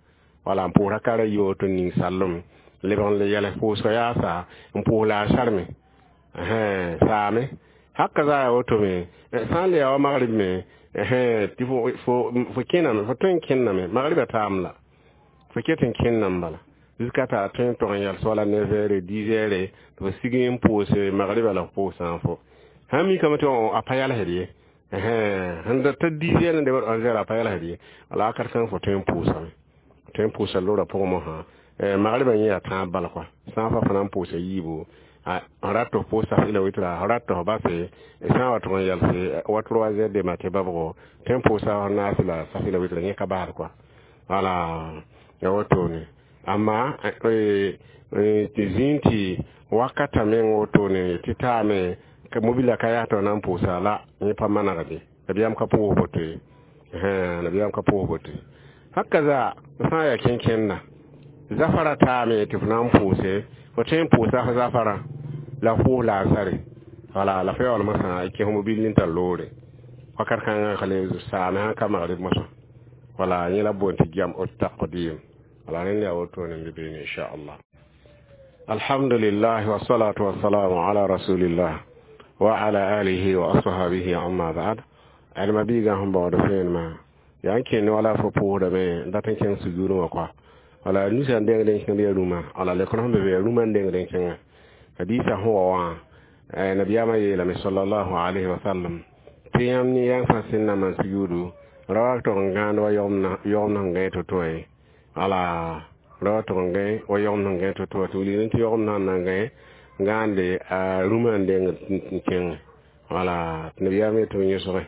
wala n pʋʋs rakara yi woto ning sallem lebg n le yɛls pʋʋsga yaasa n pʋʋs laasar me saame haka za yaa woto me sã n le yaa wa magrib me tɩ fo kẽname fo tõe n kẽnname magriba taam la fo ket n kẽnname bala jusqu'à t'a tõe n tog n yals wala neuf heures dix heures tɩ fo sig n pʋʋs magriba la fo pʋʋsã fo sãn mikame tɩ a pa yalsd ye sẽn da ta dix heures n debd onze heures a pa yalsd ye wala wakat kãng fo tõe n pʋʋsame tõe n pʋʋsa lora pʋgẽ mosã magriba yẽ yaa tãab bala kɔa sã n fa fo na n pʋʋsa yiibu n rat tɩ f pʋʋs safɩla witra f rat tɩ f base sã n wa tʋg n yalse wa trois heures de matin babgo tõe n pʋʋsa naas la safɩla witra yẽ ka baasd kɔa wala ya wotone amma tɩ zĩig tɩ wakata meng wotone tɩ taame ka mobila ka yaa tɩ na n pʋʋsa la yẽ pa manegde nabiyaam ka pʋʋs boto ye nabiyaam ka pʋʋs boto ye haka zaa sã n yaa kẽn-kẽnda zafara taame tɩ fo na n pʋʋse fo tõe n pʋʋsa f zafara la f pʋʋs laasare wala la fo yaool mosã kẽs mobil n tar loore wakat kãngã ka le saame sãn ka magrib mosã wala yẽ la boond tɩ jam taqdim wala rẽnd yaa wotone n be beene inchallah alhamdulillah wasalatu wasalamu ala rasulillah wa ala alihi wa ashabihi amma ba'd alma biiga sẽn baood vẽenemã yaa n kẽnd wala fo pʋʋsdame n dat n kẽng sujurẽ wã kɔa wala nusa n dengd n kẽngd ya rũmã wala lekr sẽn be be ya rũmã n dengd n kẽnga hadisa sẽn wa wã nabiyaamã yeelame sallallahu alayhi wa sallam tɩ yãmb ne yãng fãa sẽn na maan sujuudu ra wa tog n gãand wa yogem sẽn gãe to-to ye wala ra wa tog n gãe wa yogem sẽn gãe to-to tɩ wilg tɩ yogem sãn na n gãe gãande a rũmã n deng n kẽng wala tɩ nabiyaam yetɩ b yõsge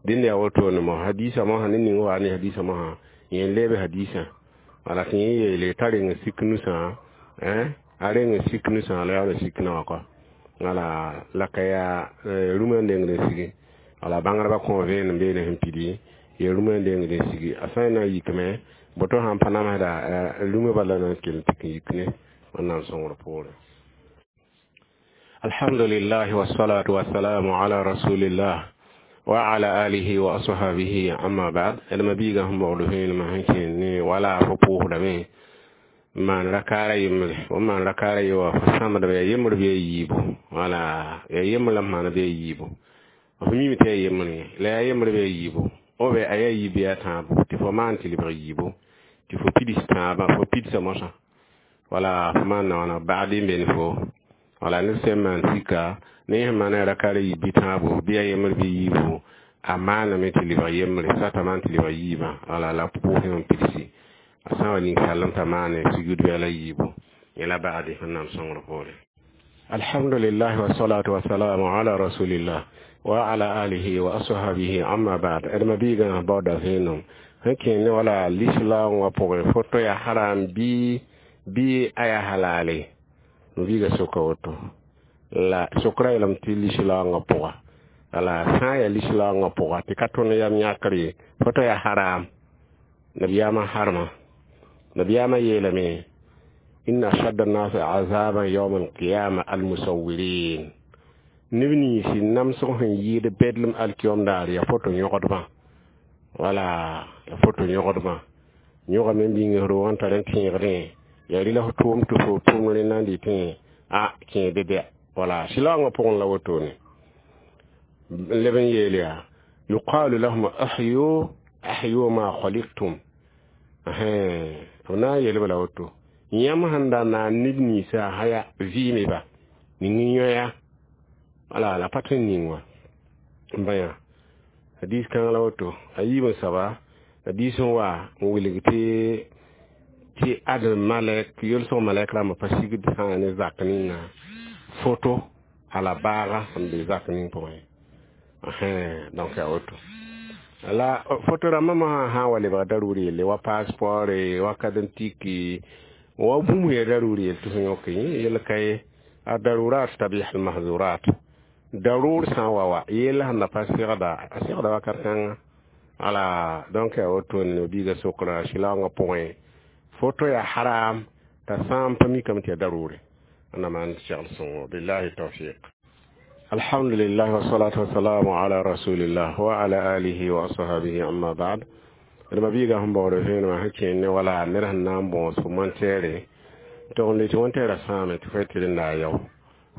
dẽnd yaa wotone mo hadisa mosã ne ning wa ne hadisa mosã yẽ lebe hadisã wala tɩ yẽ yeele t'a reng sik nusã a reng sik nusã la yaool n sik naoã kɔa wala la ka yaa rũmã n dengd n sigi wala bãngdbã kõ vẽenem beene sẽn pidi ya rũmã n dengd n sigi a sã n na n yikme boto sãn pa namsda rũmã bala na n kell tɩ n yik ne wẽnnaam sõngr poorẽ alhamdulillah wassalatu wassalamu ala rasulillah wa ala alihi wa ashabihi amma ba'd elma biiga sẽn baood vẽenemã sẽn kẽnd ne wala fo pʋʋsdame maan rakaara yembre fo maan rakaara ye wa fo sãmdame yaa yembr bɩ yaa yiibu wala yaa yembr la m maana bɩ yaa yiibu f mime tɩ yaa yembre la yaa yembr bɩ yaa yiibu obe a yaa yiib yaa tãabo tɩ fo maan tɩ lebg yiibu tɩ fo pids tãabã fo pidsa mosã wala fo maan na wãna bagd n be ne fo wala ned sẽn maan sika ne sẽn maana rakaara yiib bɩ tãabo bɩ yaa yembr bɩ yiibu a maaname tɩ lebg yembre sata maan tɩ lebg yiibã wala la pʋʋsẽ n pidsi a sã wa ning sallem t'a maane sujud bɩ la yiibu yẽ la bagd wẽnnaam sõngr poore alhamdulillah wasalatu wasalamu ala rasulillah wa ala alihi wa ashabihi amma ba'd adma biiga baoda vẽenem sẽn kẽnd ne wala l'islam wã pʋgẽ foto yaa haram bɩ Bɩ a yaa halale mabiiga soka woto la sokra yeelame tɩ lislaoongã pʋga wala sã n yaa lislaoongã pʋga tɩ ka tõnd yam yãkr ye foto yaa haram nabiyaamã harma nabiyaamã yeelame inna ashadda الناس عذابا يوم القيامة المصورين neb ninsi namsg sẽn yɩɩd bedlem alkiyom daar yaa foto yõgdbã wala ya foto yõgdbã yõgame n bĩng roog n tar n tẽegdẽ yaa rɩla f tʋʋm tɩ fo tʋʋm rẽnda n dɩtẽ a kẽede bɛ wala sɩlaoongã pʋgẽ la wotone leb n yeel yaa yuqalu lahum ahyu ahyu ma khaliktum b na n yeelb la woto yãmb sẽn da naan neb ninsã haya vɩɩmeba ning n yõya wala la pa tõe n ning wã n bã hadis kãng la woto a yiib n soaba hadis n wa n wilg tɩ tɩ ad malɛk yolsg malɛk rãmbã pa sigd sã ne zak ninga foto ala baaga sẽn be zak ning pʋgẽ donc yaa woto la foto rãmbã mosã sã n wa lebga daruri yelle wa passeport wa kadentiki wa bũmb ya daruri yell tɩ fo yõk yel ka ye الضرورات تبيح المحظورات darur sã n wa wa yell sẽn da pa segda a segda wakat kãnga wala donc yaa woto ne biiga sokra sɩlaoongã pʋgẽ foto yaa haram t'a sã n pa mikame tɩ yaa darure ãnda maan segl sõngo billahi tawfiq الحمد لله والصلاة والسلام على رسول الله وعلى آله وأصحابه أما بعد d mabiiga sẽn baood vẽenemã sẽn kẽer ne wala ned sẽn na n bõos fo montɛɛre tɩ n le tɩ wẽntɛɛrã sãame tɩ fo tɩ rẽnda a yao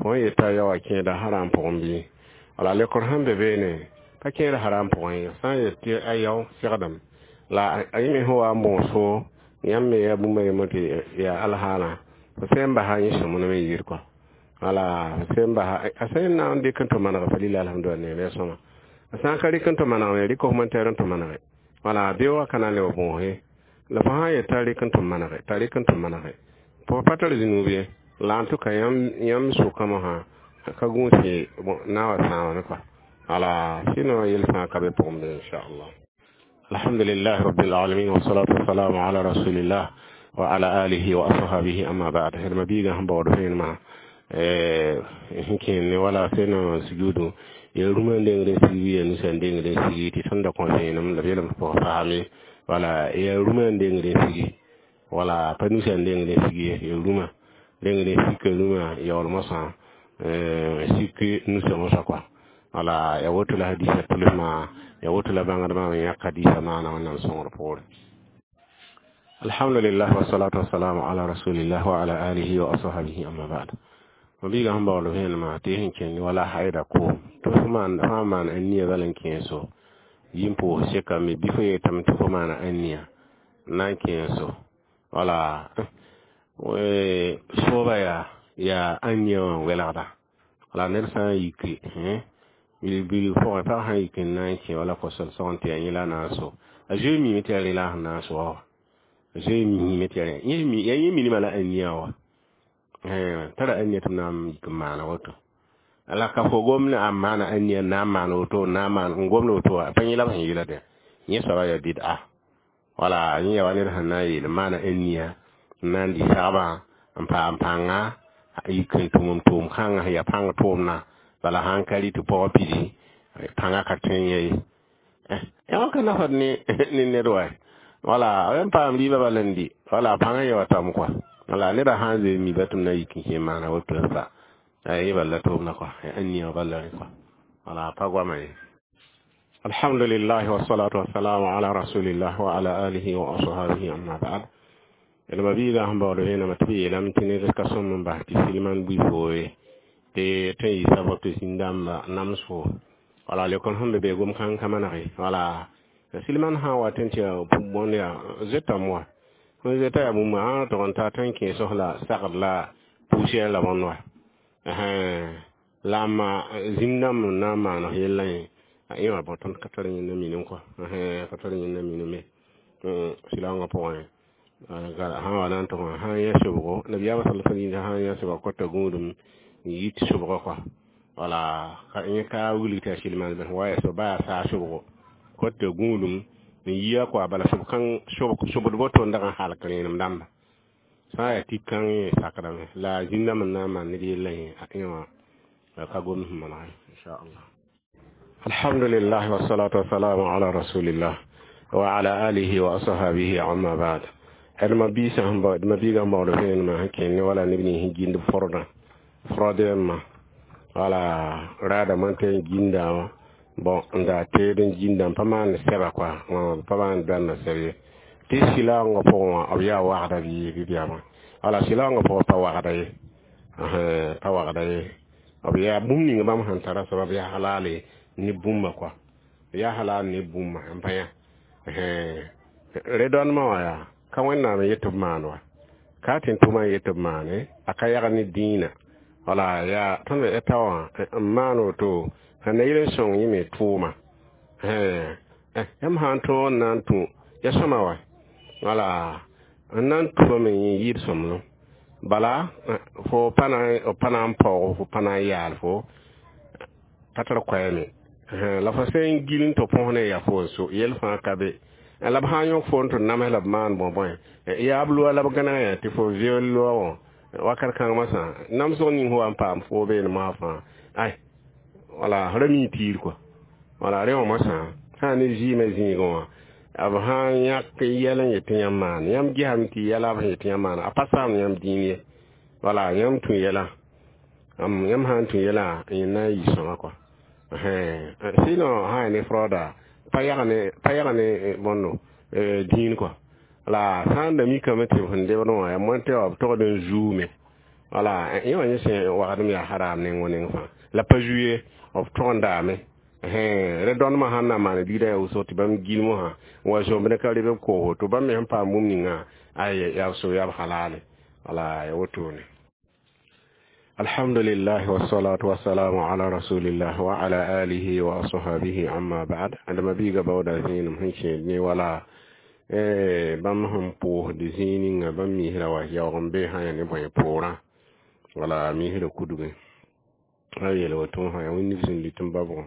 fo n yeta yao a kẽeda haram pʋgẽ bɩ wala lekor sẽn be beene pa kẽed haram pʋgẽ ye sã n yet tɩ a yao segdem la a yẽ me sẽn wa n bõos fo yãmb me yaa bũmba yembr tɩ yaa alhaalã fo sẽn n basa yẽ sõmblem n yɩɩd kɔa wala fo sẽn basa a sẽn na n dɩk n tɩ maneg fa lila alhamdulillah neem ya sõma a sã n ka rɩk n tɩ manegme rɩk f montɛɛr n tɩ manege wala beoogã ka na n leb bõose la fo sã n yet t'a rɩk n tɩ manege t'a rɩk n tɩ manege fo pa tar zĩnuub ye la en tout cas yãmb sʋka mosã ka gũus ye na wa sãamame kɔa wala sinon yel fãa ka be pʋgẽ be inchallah الحمد لله رب العالمين والصلاة والسلام على رسول الله وعلى آله وأصحابه أما بعد d mabiiga sẽn baood vẽenemã sẽn kẽer ne wala sẽn sujuudu ya rũmã n dengd n sig bɩ ya nusa n dengd n sigi tɩ tõnd da kõ vẽenem la b yeelame tɩ pʋgã faame wala ya rũmã n dengd n sigi wala pa nusa n dengd n sigi ye ya rũmã dengd n sika rũmã yaool mosã sik nusa mosã kɔa wala ya woto la hadisa tʋlsmã ya woto la bãngdbã me yãk hadisa maana wẽnnaam sõngr poore الحمد لله والصلاة والسلام على رسول الله وعلى آله وأصحابه أما بعد mabiiga sẽn baool vẽenemã tɩ sẽn kẽnd wala haida koom tɩ fo maan fãa maan aniya bala n kẽeso yĩn pʋʋs sekame bɩ fo yetame tɩ fo maana aniya n na n kẽeso wala sooba yaa yaa aniya wã n welgda wala ned sã n yiki bil pʋgẽ pag sã n yik n na n kẽ wala kosel sõgen tɩ yaa yẽ la a na n so a zoe mime tɩ yaa rẽ la a sẽn na n so wa zoe mime tɩ yaa yaa yẽ minimã la aniya wa tara aniya tɩ b na n yik n maana woto la ka fo gom a maana aniya n na n maan woto n na n maan n gomd woto wa pa yẽ la b sẽn yeela dẽ yẽ soaba yaa bid'a wala yẽ yaa wa ned sẽn na n yeel maana aniya n na n dɩ sagbã n paam pãnga yik n tʋm n tʋʋm kãngã sẽn yaa pãng tʋʋmdã bala sãn ka rɩ tɩ pɔgã pidi pãngã ka tõe n yã ye yã ka nafad ne ne ned wa wala b n paam rɩɩbã bala n dɩ wala pãngã ya wa tam kɔa wala neda sãn zoe mi ba tɩ b na yik n kẽ maana woto sa yẽ bala tʋʋmdã kɔa aniya bala rẽ kɔa wala pa goama ye الحمد لله والصلاة والسلام على رسول الله وعلى آله وأصحابه أما بعد d mabiiga sẽn baood vẽenemã tɩ b yeelame tɩ ned ka sõm n bas tɩ silman bʋɩ fooye tɩ tõe n yɩ sabab tɩ zĩn-dãmba namsgo wala lekor sẽn be be gom kãng ka manege wala silman sã n wa tɩ n tɩ yaa bõnd yaa zoetame wa sẽn zoeta yaa bũmb sã n tog n ta tõe n kẽes la sagd la poussière la bõnd wa la ma zĩn-dãmb n na n maan yellã yẽ yẽ wã bõ tõnd ka tar yẽnda minim kɔa ka tar yẽnda minime sɩlaoongã pʋgẽ sã n wa na n tʋg sã n yã sobgo nabiyaamã sal sã n yã sobga kota gũudum n yit sobgo kɔa wala yẽ ka wilg tɩ yaa silman bɩ wa yaa sob ba yaa saa sobgo kota gũudum n yia kɔa bala sob kãng sobd woto n dag n halk rẽenem dãmba Sã n yaa tɩ kãng yẽ sakdame la a zĩndame n na n maan ned yellã yẽ a ẽ wã ka gomd sẽn maneg inchallah. Alhamdulillah wassalatu wassalamu ala rasulillah wa ala alihi wa ashabihi amma ba'd. D ma biisã sẽn bao d ma biigã sẽn baood vẽenemã sẽn kẽnd ne wala neb nins sẽn gĩnd fordã frodɛmã wala raadame n tɩ n gĩnda wã bon n daa teed n gĩnda n pa maan sɛba koa pa maan dãnna sɛb ye tɩ sɩlaoongã pʋgẽ wã b yaa wagda bɩ bɩ bɛama wala sɩlaoongã pʋgẽ pa wagda ye pa wagda ye b yaa bũmb ning bãmb sẽn tara soaba b yaa halaale ne bũmba koa b yaa halaal ne bũmba n pa yã rẽ-dõndmã wã yaa ka wẽnnaam n yet tɩ b maan wa ka tɩ n tʋma n yet tɩ b maane a ka yag ne dĩinã wala yaa tõnd ta wã n maan woto sẽn na yel n sõng yẽ me tʋʋma yãmb sã n tõog n na n tũ ya sõma wa wala n na n tʋmame yẽ yɩɩd sõmblem bala fo pa na pa na n paoog fo pa na n yaal fo pa tar koɛɛme la fo sẽn gil n tɩ põs ne ya fo n so yell fãa ka be la b sã n yõk fo n tɩ nams la b maan bõe bõe yaa b loa la b gãneg yã tɩ fo viol loa wã wakat kãng masã namsg ning fo wa n paam fo beene mosã fãa ay wala ra mi tiir kɔa wala rẽ wã masã sã ne zɩɩmã zĩigẽ wã b sã n yãk yɛl n yet tɩ yãmb maan yãmb gesame tɩ yɛla b sẽn yet tɩ yãmb maana a pa saam yãmb dĩin ye wala yãmb tũ yɛla yãmb sã n tũ yɛla yẽ na n yɩ sõma kɔa sinon sã ya ne fraoda pa yag pa yag ne bõndo dĩin kɔa la sã n da mikame tɩ b sẽn debd wã yaa moẽ tɩ b togd n zuume wala yẽ wã yẽ sẽn wagdem yaa haram neng wã neng fãa la pa zu ye b tog n daame rẽ-dõndmã sãn na n maan bilda yaa wʋsg tɩ bãmb gilm wã n wa zomb ne ka reb b koos woto bãmb me sẽn paam bũmb ninga ay yaa b so yaa b halale wala ya wotone. Alhamdulillah wassalatu wassalamu ala rasulillah wa ala alihi wa ashabihi amma ba'd. Adama biiga baooda zĩenem sẽn kẽed ne wala bãmb sẽn pʋʋsd zĩig ninga bãmb miisra wa yaoog n be sã ya ne bõe poorã wala miisra kudgẽ a yeel woto sã yaa wẽnd sẽn lit n ba pʋgẽ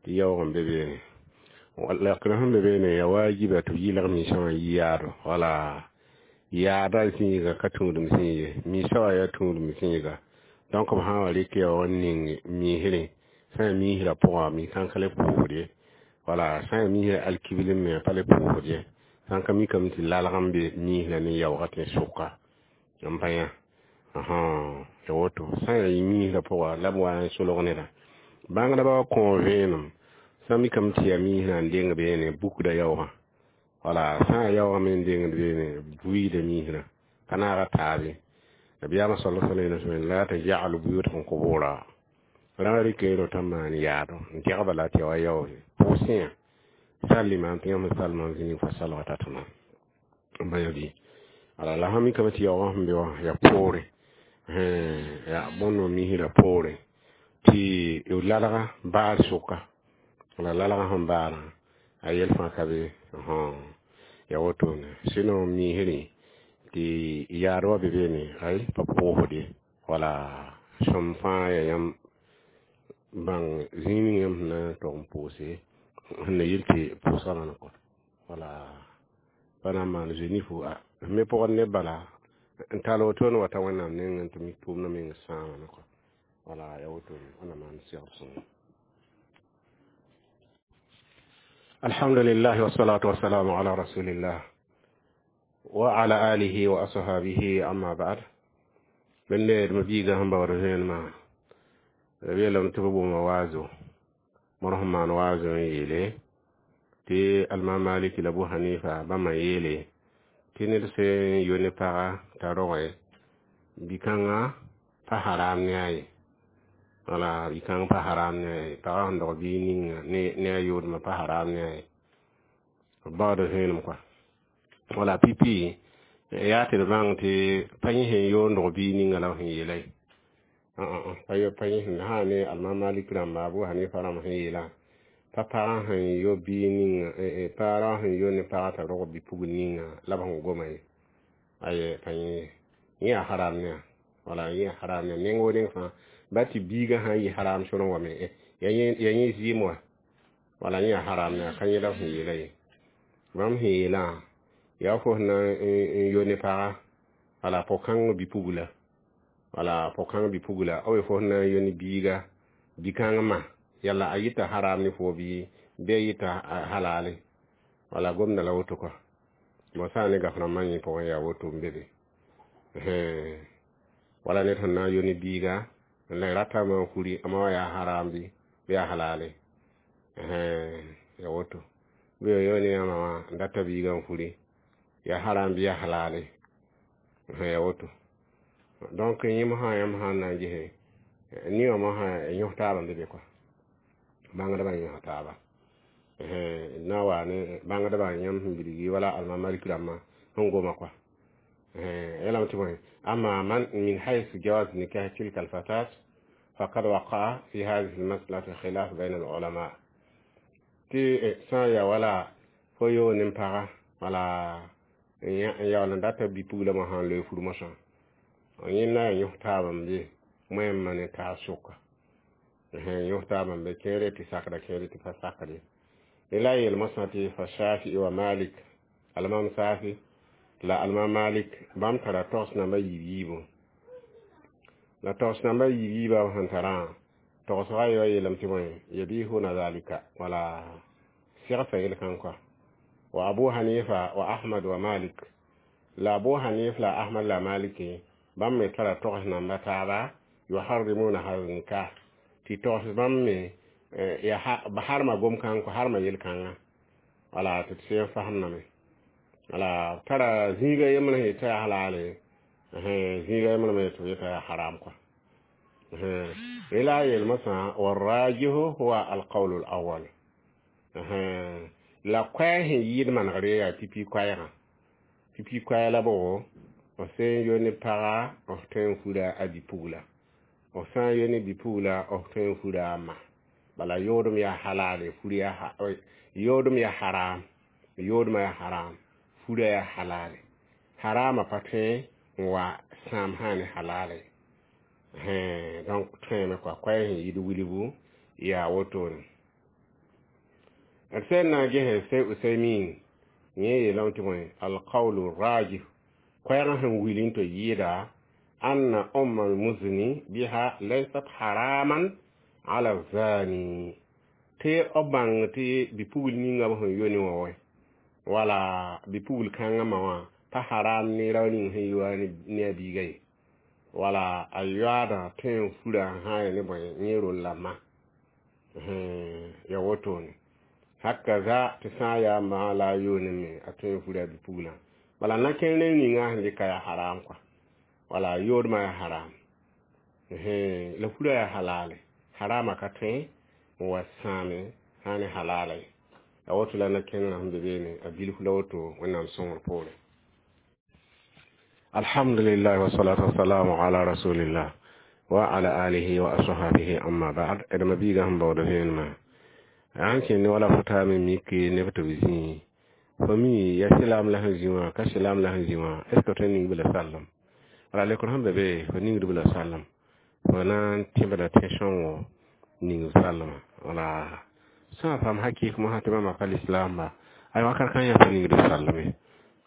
tɩ yaoog n be beene lakr sẽn be beene ya waajiba tɩ b yɩlg miisã wã yi yaado wala yaada zĩiga ka tũudem sẽn ye miisã wã yaa tũudem zĩiga donc b sã n wa rɩk yaoog n ning miisrẽ sã n yaa miisrã pʋgã mi-kãnkã le pʋʋsd ye wala sã n yaa miisrã alkibl me pa le pʋʋsd ye sã n ka mikame tɩ lalg n be miisrã ne yaoogã tẽ sʋka n pa yã ya woto sã n yaa miisrã pʋga la b wa n solg neda bãngdbã wa kõ vẽenem sã mikame tɩ yaa miisrã n deng beene bukda yaoogã wala sã n yaa yaoogã me n dengd beene buiida miisrã ka naaga taabe nabiyaamã sala sallam yeelame la tajalu buyutakum qubura rã rɩka rota n maan yaado n degba la tɩ ya wa yaoog pʋʋsẽ yã salima tɩ yãmb salmã zĩig fa salga tatma n ba bɩ ala la sã mikame tɩ yaoogã sẽn be wã yaa poore yaa bõnd misrã poore tɩ lalga baar sʋka la lalgã sẽn baarã a yɛl fãa ka be ya wotone sinon misrẽ tɩ yaad wa be beene ay pa pʋʋsd ye wala sõm fãa yaa yãmb bãng zĩig ning yãmb sẽn na n tog n pʋʋse sẽn na yel tɩ pʋʋsga rãnd kɔ wala pa na n maan zoe-nifo me pʋgd neb bala n tall wotone wa ta wẽnnaam nengẽ tɩ mik tʋʋmdã meng sãamame kɔ wala ya wotone wẽnnaam maan segd sõngo. Alhamdulillah wassalatu wassalamu ala rasulillah wa ala alihi wa ashabihi amma ba'd. Bende d mabiiga sẽn baood vẽenemã b yeelame tɩ b booma waazo bõr sẽn maan waazo n yeele tɩ alma maliki la abu hanifa bãmba yeele tɩ ned sẽn yo ne paga t'a roge bi-kãngã pa haram ne a ye wala bi-kãng pa haram ne a ye pagã sẽn dog biig ninga ne a yoodmã pa haram ne a ye b baood vẽenem kɔa wala pipi yaa tɩ d bãng tɩ pa yẽ sẽn yoond biig ninga la b sẽn yeela ye pa pa yẽ sẽn sã ne alma malik rãmba abu hanifa rãmb sẽn yeelã pa pagã sẽn yo biig ninga pa rao sẽn yo ne pagã t'a rog bi-pugl ninga la b sẽn goma ye aye pa yẽ yẽ yaa haram ne wala yẽ yaa haram ne neng wo neng fãa ba tɩ biigã sã n yɩ haram sõrẽ wame ya yẽ zɩɩm wa wala yẽ yaa haram ne ka yẽ la b sẽn yeela ye bãmb sẽn yeelã yaa fo sẽn na n yo ne paga Wala pʋg-kãng bi-pugla, wala pʋg-kãng bi-pugla b fo sẽn na n yoni biiga bi-kãng ma yalla a yita haram ne fo bɩ bɩ a yita halale. Wala gomda la woto kɔa bon sã n ne gaf rãmbã yẽ pʋgẽ yaa woto n be be. Wala ned sẽn na n yoni biiga n la ratame n furi a ma wã yaa haram bɩ bɩ yaa halale, ya woto. Bɩ yo ne a ma wã n data biiga n furi yaa haram bɩ yaa halale, ya woto. Donc yẽ mosã yãmb sã n na n gese ne wã mosã yõs taabã n be be kɔa bãngdbã yõsa taaba na n wa ne bãngdbã yãmb sẽn bilgi wala almam Malik rãmbã sẽn goma kɔa yalame tɩ bõe أما من من حيث جواز نكاح تلك الفتاة فقد وقع في هذه المسألة خلاف بين العلماء. Tɩ sã n yaa wala fo yoog ne paga wala n yaool n data bi-pugla mosã n loe fur mosã yẽ na n yõs taabã n be wẽmma ne taab sʋka yõs taabã n be kẽere tɩ sakda kẽere tɩ pa sakd ye la a yeel mosã tɩ fa Shafi'i wa Malik almam Safi la almam Malik bãmb tara togs namba yiib yiibu la togs namba yiib yiibã sẽn tarã togsga yo yeelame tɩ bõe yabihuna zalika wala segsa yel-kãng kɔa wa Abu Hanifa wa Ahmad wa Malik la Abu Hanif la Ahmad la Maliki bãmb me tara togs namba taaba yuharrimuna hada nikah tɩ togs bãmb me ya harma gom-kãng kɔ harma yel-kãngã wala tɩ d sẽn fasemdame wala tara zĩiga yembr sẽn yetɩ yaa halale zĩiga yembr me tɩ b yeta yaa haram kɔa la a yeel mosã والراجح هو القول الأول la koɛɛ sẽn yɩɩd manegre yaa pipi koɛɛgã pipi koɛɛ la bʋgo f sẽn yo ne paga f tõe n fura a bi-pugla f sã n yo ne bi-pugla f tõe n fura a ma bala yoodem yaa halale fur yaa yoodem yaa haram yoodmã yaa haram fura yaa halale harama pa tõe n wa sãam sã ne halale donc tõeme kɔa koɛɛ sẽn yɩɩd wilgu yaa wotone d sẽn na n gese sey Usaymin yẽ yeelame tɩ bõe القول الراجح koɛɛgã sẽn wil n tɩ yɩɩda أن أم المزني بها ليست حراما على الزاني tɩ b bãng tɩ bi-pugl ninga b sẽn yo ne wã wɛ wala bi-pugl kãngã ma wã pa haram ne rao ning sẽn yoa ne a biiga ye wala a yoaadã tõe n fura n sã n ne bõe yẽ rol la ma ya wotone hakaza tɩ sã n yaa ma la a yoone me a tõe n fura bi-puglã bala na-kẽer ninga sẽn dɩka yaa haram kɔa wala yoodmã yaa haram la fura yaa halale harama ka tõe n wa sãame sã ne halala ye a woto la na-kẽngrã sẽn be beene a bilf la woto wẽnnaam sõngr poore. Alhamdulillah والصلاة والسلام على رسول الله وعلى آله وأصحابه أما بعد d ma biiga sẽn baood vẽenemã sãn kẽnd wala fo taame mik neb tɩ b zĩ fo mi ya sɩlaam la sẽn zĩ wã ka sɩlaam la sẽn zĩ wã est ce que tõe n ning b la sallem wala lekr sẽn be be fo ningd b la sallem fo na n tẽbda tẽ-sõngo ning b sallema wala sã n paam hakɩɩk mosã tɩ bãmba pa lislaamba ay wakat kã yã pa ningd b sallem ye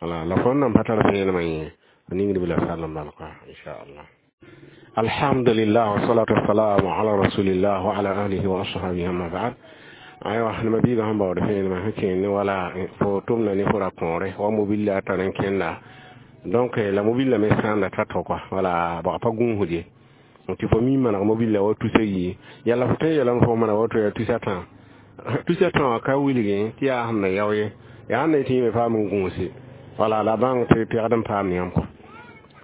wala la fõn nan pa tar vẽenemã yẽ fo ningd b la sallem bal kɔa inchallah. الحمد لله والصلاة والسلام على رسول الله وعلى آله وأصحابه أما بعد aywa nima biiga sẽn baood vẽenemã sẽn kẽend wala fo tʋmda ne fo ra kõore wa mobile a tar n kẽnda donc la mobile me sãanda ta tɔ kɔa wala bag pa gũusd ye tɩ fo mi maneg mobile wa tusa yi yalla fo tõe n yeelame fo maneg woto yaa tusa tã tusa tã wã ka wilgẽ tɩ yaa sẽn na yao ye yaa sẽn na yetɩ yẽ me paam n gũuse wala la bãng tɩ pɛgd n paam yãmb kɔ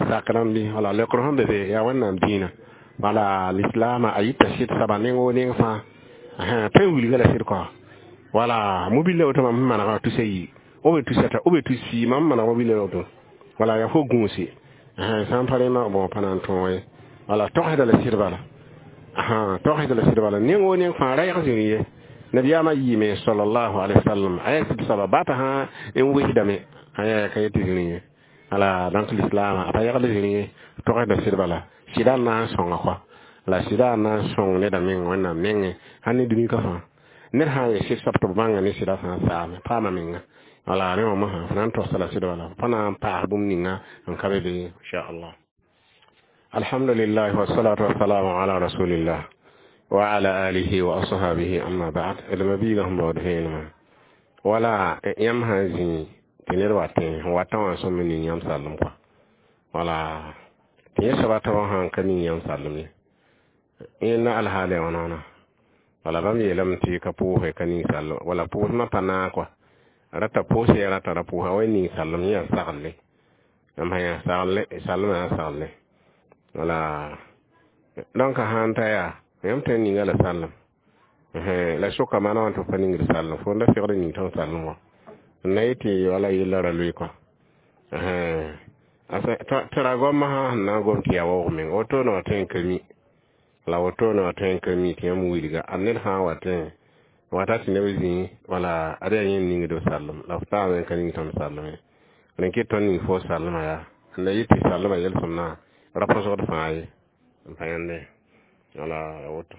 sak rãmbi wala lekr sẽn be be yaa wẽnnaam dĩinã wala lislaamã a yita sɩd saba neng o neng fãa tõe n wilga la sɩd kɔa wala mobile woto mam sẽn manegã tusa yi o be tusa ta o be tus fii mam maneg mobile woto wala yaa fo gũuse sã n pa rẽma bon pa na n tõog ye wala togsda la sɩd bala togsda la sɩd bala neng o neng fãa ra yag zĩri ye nabiyaamã yiime صلى الله عليه وسلم a yaa sɩd soaba bata sã n wesdame aya ka yetɩ zĩri ye ala donc l'islam a pa yagd zĩri ye togsda sɩd bala sɩda n na n sõnga kɔa la sɩda n na n sõng neda meng wẽnnaam nengẽ sãn ne dũni ka fãa ned sã n ye sɩd soab tɩ b bãnga ne sɩda sã n saame paama menga. Wala rẽ wã mosã f na n togsa la sɩd wala pa na n paas bũmb ninga n ka be be inchallah. Alhamdulillah, wassalatu wassalamu ala rasulillah wa ala alihi wa ashabihi, amma ba'd. D mabiigã sẽn baood vẽenemã wala yãmb sã n zĩ tɩ ned wa tẽ n watã wã sõm n ning yãmb sallem kɔa, wala tɩ yẽ soaba taoã sã n ka ning yãmb sallem ye, yẽnda alhaal ya wãna wãna? Wala bãmb yeelame tɩ ka pʋʋse ka ning sallem, wala pʋʋsmã pa naag kɔa, rata pʋʋs ya rata ra pʋʋsa wa ning sallem, yẽ yaa saglle, yãmb sã yaa sagle, sallmã yaa sagle. Wala donc sãn ta yaa yãmb tõe n ninga la sallem la soka maana wã tɩ f pa ningd sallem, fo n da segd ning tõnd sallem wã n na yetɩ wala yella ra loe kɔa tɩ ra goamã sã sẽn na n gom tɩ yaa waoog meng wotone wã tõe n ka mi la wotone wã tõe n ka mi tɩ yãmb wilga a ned sã n wa tẽ wata tɩ neb zĩ wala ad yaa yẽ n ningd sallem la f taame n ka ning tõnd sallem ye, rẽn kɩt tõnd ning fo sallmã yaa n na yɩ tɩ sallmã yelsem na ra põsgd fãa ye n pa yãnde wala woto.